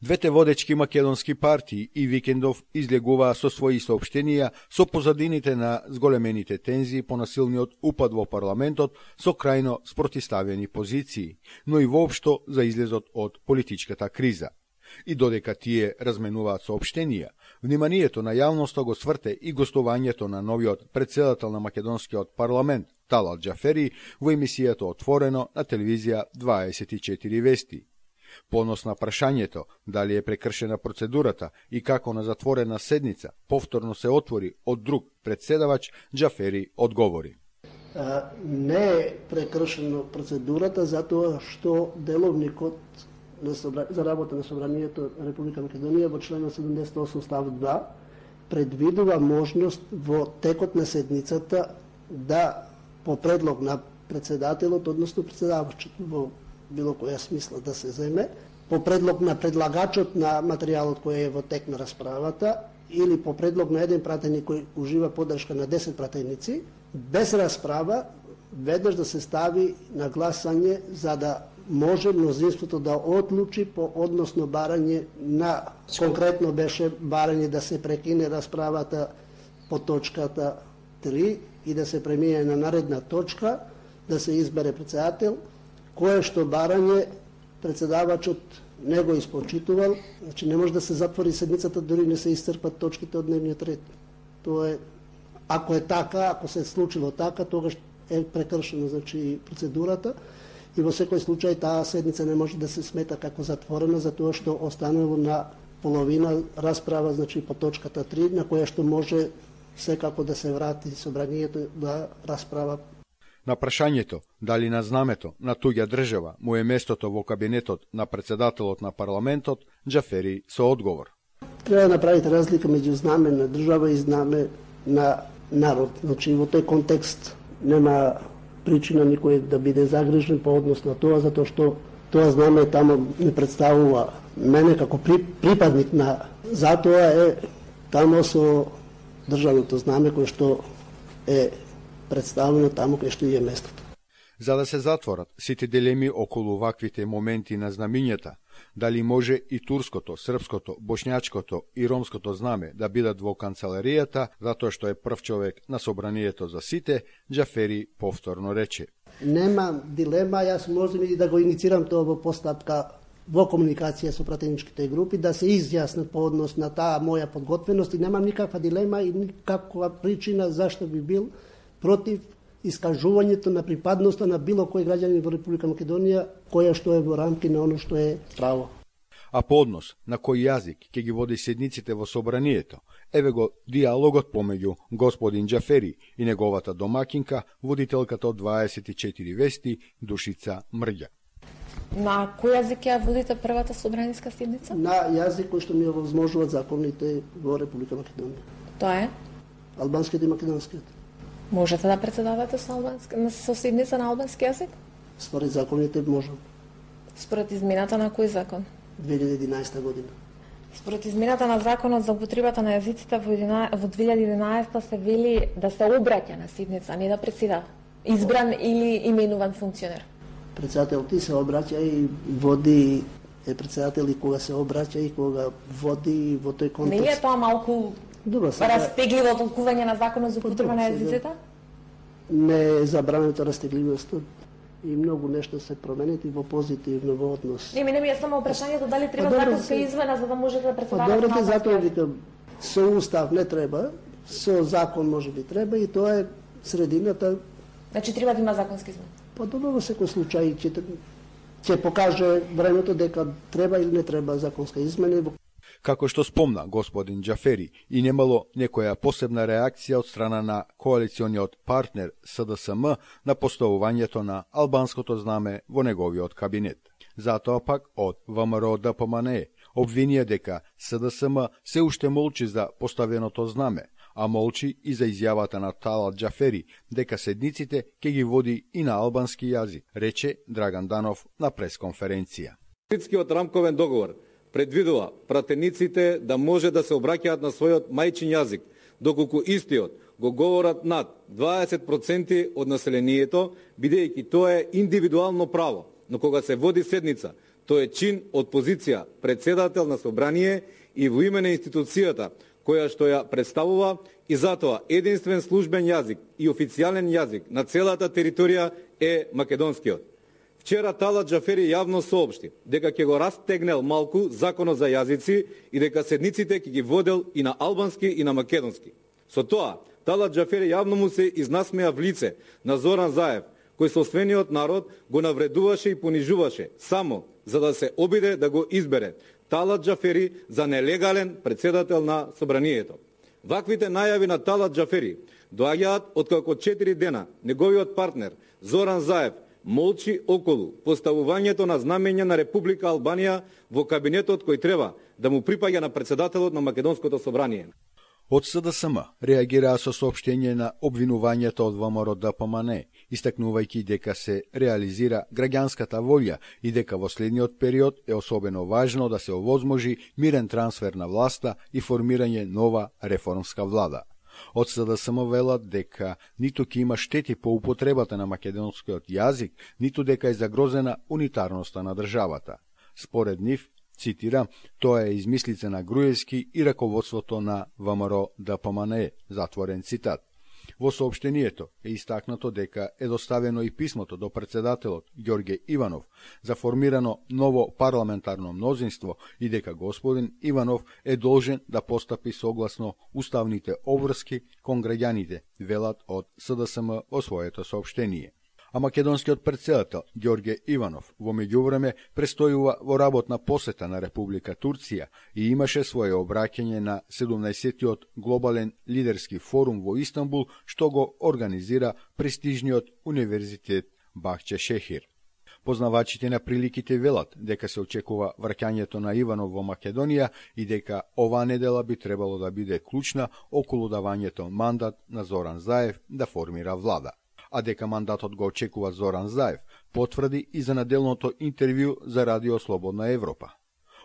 Двете водечки македонски партии и викендов излегуваа со своји соопштенија со позадините на зголемените тензии по насилниот упад во парламентот со крајно спротиставени позиции, но и воопшто за излезот од политичката криза. И додека тие разменуваат соопштенија, вниманието на јавноста го сврте и гостувањето на новиот претседател на македонскиот парламент Талат Џафери во емисијата Отворено на телевизија 24 вести. По однос на прашањето дали е прекршена процедурата и како на затворена седница повторно се отвори од друг председавач, Џафери одговори. Не е прекршена процедурата затоа што деловникот за работа на Собранието на Република Македонија во член 78 став 2 предвидува можност во текот на седницата да по предлог на председателот, односно председавачот во било која смисла да се земе, по предлог на предлагачот на материјалот кој е во тек на расправата или по предлог на еден пратеник кој ужива поддршка на 10 пратеници, без расправа, веднаш да се стави на гласање за да може мнозинството да одлучи по односно барање на, конкретно беше барање да се прекине расправата по точката 3 и да се премине на наредна точка, да се избере председател, кое што барање председавачот не го испочитувал, значи не може да се затвори седницата дори не се исцрпат точките од дневниот ред. Тоа е, ако е така, ако се случило така, тогаш е прекршена значи процедурата и во секој случај таа седница не може да се смета како затворена затоа што останало на половина расправа значи по точката 3 на која што може секако да се врати собранието да расправа. На прашањето дали на знамето на туѓа држава му е местото во кабинетот на председателот на парламентот, Џафери со одговор. Треба да направите разлика меѓу знаме на држава и знаме на народ. Значи во тој контекст нема причина никој да биде загрижен по однос на тоа, затоа што тоа знаме тамо не представува мене како припадник на затоа е тамо со државното знаме кое што е представено тамо кај што е местото. За да се затворат сите дилеми околу ваквите моменти на знамињата, дали може и турското, српското, бошњачкото и ромското знаме да бидат во канцеларијата, затоа што е прв човек на собранието за сите, Џафери повторно рече. Нема дилема, јас можам и да го иницирам тоа во постапка во комуникација со пратеничките групи, да се изјаснат по однос на таа моја подготвеност и немам никаква дилема и никаква причина зашто би бил против искажувањето на припадноста на било кој граѓанин во Република Македонија, која што е во рамки на оно што е право. А по однос на кој јазик ќе ги води седниците во собранието, еве го диалогот помеѓу господин Џафери и неговата домакинка, водителката од 24 вести, Душица Мрѓа. На кој јазик ја водите првата собраниска седница? На јазик кој што ми овозможуваат законите во Република Македонија. Тоа е? Албанскиот и македонскиот. Можете да председавате со седница на албански јазик? Според законите можам. Според измената на кој закон? 2011 година. Според измената на законот за употребата на јазиците во 2011 се вели да се обраќа на седница, а не да председава. Избран или именуван функционер. Председател ти се обраќа и води е председател и кога се обраќа и кога води во тој контекст. Не е тоа малку растегливо толкување на законот за употреба на јазиците? Не е забрането растегливоста и многу нешто се променет и во позитивно во однос. Не ми е само прашањето дали треба законска измена за да можете да председавате на албански јазик. Затоа викам, со устав не треба, со закон може би треба и тоа е средината. Значи треба да има законски измена. Па добро во секој случај ќе покаже времето дека треба или не треба законска измена. Како што спомна господин Џафери, и немало некоја посебна реакција од страна на коалициониот партнер СДСМ на поставувањето на албанското знаме во неговиот кабинет. Затоа пак од ВМРО ДПМНЕ обвинија дека СДСМ се уште молчи за поставеното знаме, а молчи и за изјавата на Талат Џафери дека седниците ќе ги води и на албански јазик, рече Драган Данов на пресконференција. Мадридскиот рамковен договор предвидува пратениците да може да се обраќаат на својот мајчин јазик, доколку истиот го говорат над 20% од населението, бидејќи тоа е индивидуално право. Но кога се води седница, Тој е чин од позиција председател на собрание и во име на институцијата која што ја представува, и затоа единствен службен јазик и официјален јазик на целата територија е македонскиот. Вчера Талат Џафери јавно соопшти дека ќе го растегнел малку законот за јазици и дека седниците ќе ги водел и на албански и на македонски. Со тоа, Талат Џафери јавно му се изнасмеа в лице на Зоран Заев, кој собствениот народ го навредуваше и понижуваше само за да се обиде да го избере Талат Џафери за нелегален председател на собранието. Ваквите најави на Талат Џафери доаѓаат откако 4 дена неговиот партнер Зоран Заев молчи околу поставувањето на знамења на Република Албанија во кабинетот кој треба да му припаѓа на председателот на Македонското собрание. Од СДСМ реагираа со соопштење на обвинувањето од ВМРО-ДПМН, истакнувајќи дека се реализира граѓанската волја и дека во следниот период е особено важно да се овозможи мирен трансфер на власта и формирање нова реформска влада. Од СДСМ велат дека ниту ќе има штети по употребата на македонскиот јазик, ниту дека е загрозена унитарноста на државата. Според нив, цитирам, тоа е измислица на Груевски и раководството на ВМРО-ДПМН, затворен цитат. Во соопштението е истакнато дека е доставено и писмото до председателот Ѓорѓе Иванов за формирано ново парламентарно мнозинство и дека господин Иванов е должен да постапи согласно уставните обврски кон граѓаните, велат од СДСМ во своето соопштение. А македонскиот председател Ѓорѓе Иванов во меѓувреме престојува во работна посета на Република Турција и имаше свое обраќање на 17-тиот глобален лидерски форум во Истанбул, што го организира престижниот универзитет Бахче Шехир. Познавачите на приликите велат дека се очекува враќањето на Иванов во Македонија и дека оваа недела би требало да биде клучна околу давањето мандат на Зоран Заев да формира влада. А дека мандатот го очекува Зоран Заев, потврди и за наделното интервју за Радио Слободна Европа.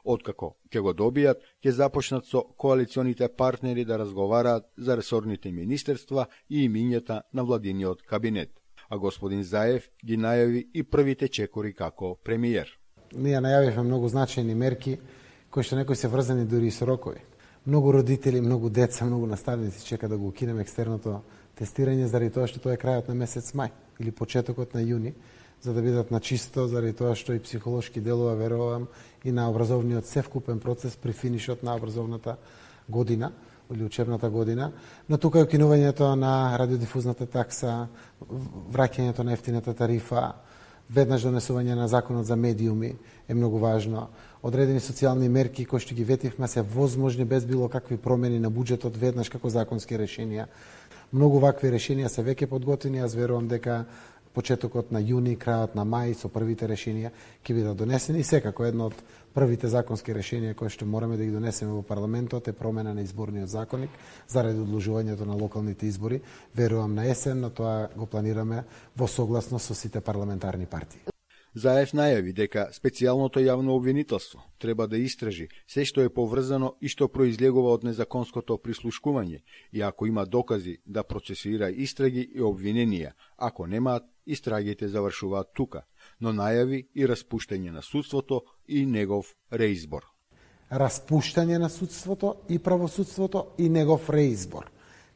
Откако ќе го добијат, ќе започнат со коалиционите партнери да разговараат за ресорните министерства и имињата на владиниот кабинет. А господин Заев ги најави и првите чекори како премиер. Ние најавивме многу значајни мерки, кои што некои се врзани дури и со рокови. Многу родители, многу деца, многу наставници чека да го укинеме екстерното тестирање заради тоа што тоа е крајот на месец мај или почетокот на јуни, за да бидат на чисто, заради тоа што и психолошки делува, верувам, и на образовниот севкупен процес при финишот на образовната година или учебната година, но тука е укинувањето на радиодифузната такса, враќањето на ефтината тарифа, веднаш донесување на законот за медиуми е многу важно. Одредени социјални мерки кои што ги ветивме се возможни без било какви промени на буџетот веднаш како законски решенија. Многу вакви решенија се веќе подготвени, јас верувам дека почетокот на јуни, крајот на мај со првите решенија ќе бидат донесени. Секако едно од првите законски решенија кои што мораме да ги донесеме во парламентот е промена на изборниот законник заради одложувањето на локалните избори. Верувам на есен, но тоа го планираме во согласно со сите парламентарни партии. Заев најави дека специјалното јавно обвинителство треба да истражи се што е поврзано и што произлегува од незаконското прислушкување и ако има докази да процесира истраги и обвиненија, ако немаат, истрагите завршуваат тука, но најави и распуштање на судството и негов реизбор. Распуштање на судството и правосудството и негов реизбор,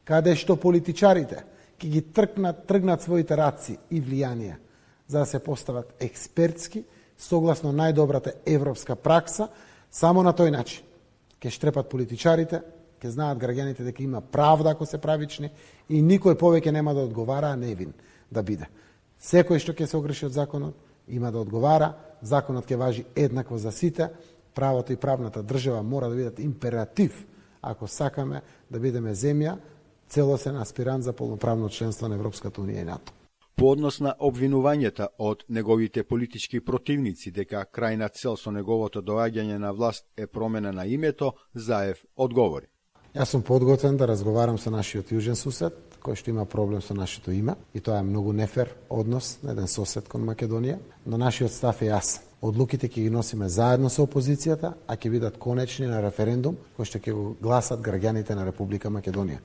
каде што политичарите ќе ги тргнат своите раци и влијанија за да се постават експертски, согласно најдобрата европска пракса, само на тој начин ќе штрепат политичарите, ќе знаат граѓаните дека има правда ако се правични и никој повеќе нема да одговара, а невин да биде. Секој што ќе се огреши од законот има да одговара, законот ќе важи еднакво за сите, правото и правната држава мора да бидат императив ако сакаме да бидеме земја целосен аспирант за полноправно членство на Европската унија и НАТО. По однос на обвинувањата од неговите политички противници дека крајна цел со неговото доаѓање на власт е промена на името, Заев одговори. Јас сум подготвен да разговарам со нашиот јужен сусед, кој што има проблем со нашето име, и тоа е многу нефер однос на еден сосед кон Македонија, но нашиот став е јасен. Одлуките ќе ги носиме заедно со опозицијата, а ќе бидат конечни на референдум кој што ќе го гласат граѓаните на Република Македонија.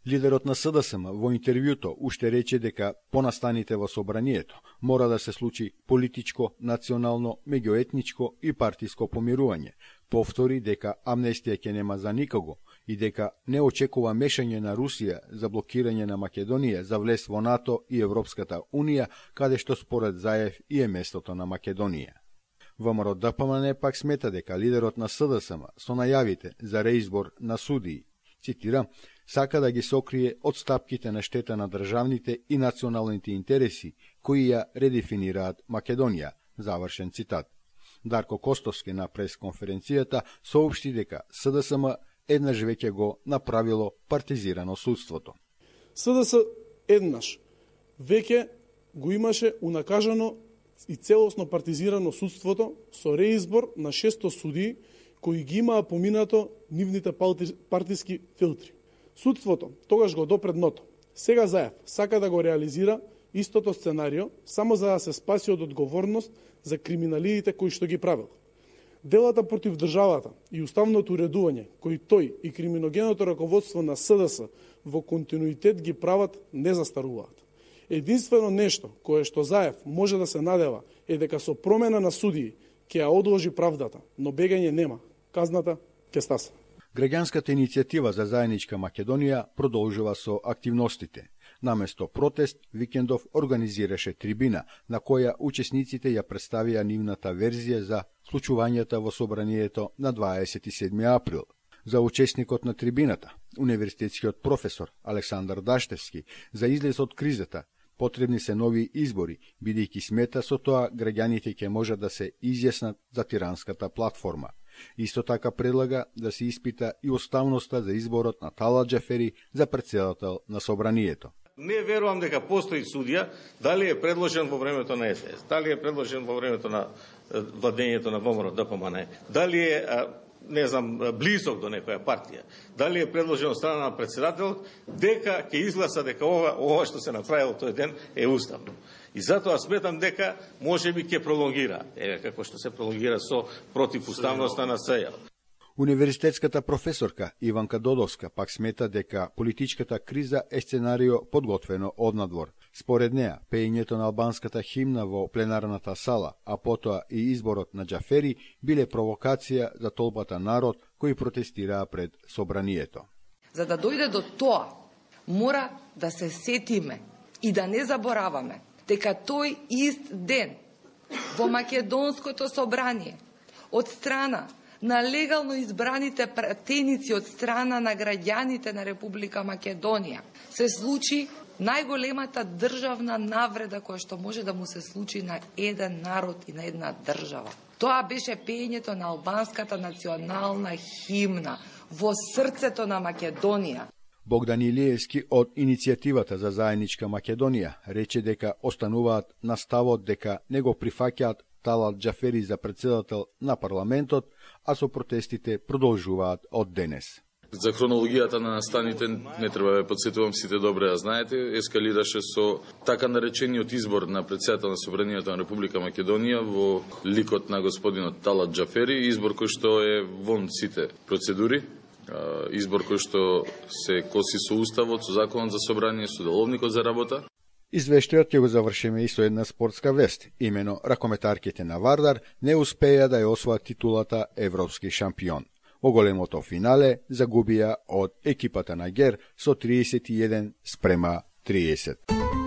Лидерот на СДСМ во интервјуто уште рече дека понастаните во собранието мора да се случи политичко, национално, меѓуетничко и партиско помирување. Повтори дека амнестија ќе нема за никого и дека не очекува мешање на Русија за блокирање на Македонија за влез во НАТО и Европската Унија, каде што според Заев и е местото на Македонија. ВМРО ДПМН пак смета дека лидерот на СДСМ со најавите за реизбор на судии, цитирам, сака да ги сокрие од стапките на штета на државните и националните интереси кои ја редефинираат Македонија, завршен цитат. Дарко Костовски на пресконференцијата соопшти дека СДСМ еднаш веќе го направило партизирано судството. СДС еднаш веќе го имаше унакажано и целосно партизирано судството со реизбор на 600 судии кои ги имаа поминато нивните партиски филтри. Судството тогаш го допре дното. Сега Заев сака да го реализира истото сценарио само за да се спаси од одговорност за криминалиите кои што ги правил. Делата против државата и уставното уредување кои тој и криминогеното раководство на СДС во континуитет ги прават не застаруваат. Единствено нешто кое што Заев може да се надева е дека со промена на судии ќе ја одложи правдата, но бегање нема. Казната ќе стаса. Граѓанската иницијатива за заедничка Македонија продолжува со активностите. Наместо протест, Викендов организираше трибина, на која учесниците ја представија нивната верзија за случувањата во собранието на 27 април. За учесникот на трибината, универзитетскиот професор Александар Даштевски, за излез од кризата, потребни се нови избори, бидејќи смета со тоа граѓаните ќе можат да се изјаснат за тиранската платформа. Исто така предлага да се испита и уставноста за изборот на Талат Џафери за претседател на собранието. Не верувам дека постои судија, дали е предложен во времето на СДС, дали е предложен во времето на владењето на ВМРО ДПМН, дали е не знам, близок до некоја партија, дали е предложен од страна на претседател, дека ќе изгласа дека ова што се направило тој ден е уставно. И затоа сметам дека можеби ќе пролонгира, како што се пролонгира со противуставноста на СЈ. Универзитетската професорка Иванка Додовска пак смета дека политичката криза е сценарио подготвено однадвор. Според неа, пеењето на албанската химна во пленарната сала, а потоа и изборот на Џафери биле провокација за толпата народ кои протестираа пред собранието. За да дојде до тоа, мора да се сетиме и да не забораваме дека тој ист ден во Македонското собрание од страна на легално избраните пратеници од страна на граѓаните на Република Македонија се случи најголемата државна навреда која што може да му се случи на еден народ и на една држава. Тоа беше пеењето на албанската национална химна во срцето на Македонија. Богдан Илиевски од иницијативата за заедничка Македонија рече дека остануваат на ставот дека не го прифаќаат Талат Џафери за претседател на парламентот, а со протестите продолжуваат од денес. За хронологијата на настаните не треба да подсетувам, сите добре ја знаете, ескалираше со така наречениот избор на претседател на собранието на Република Македонија во ликот на господинот Талат Џафери, избор кој што е вон сите процедури, избор кој што се коси со уставот, со законот за собрание, со деловникот за работа. Извештајот ќе го завршиме и со една спортска вест. Имено ракометарките на Вардар не успеа да ја освоат титулата европски шампион. Во големото финале загубија од екипата на Гер со 31-30.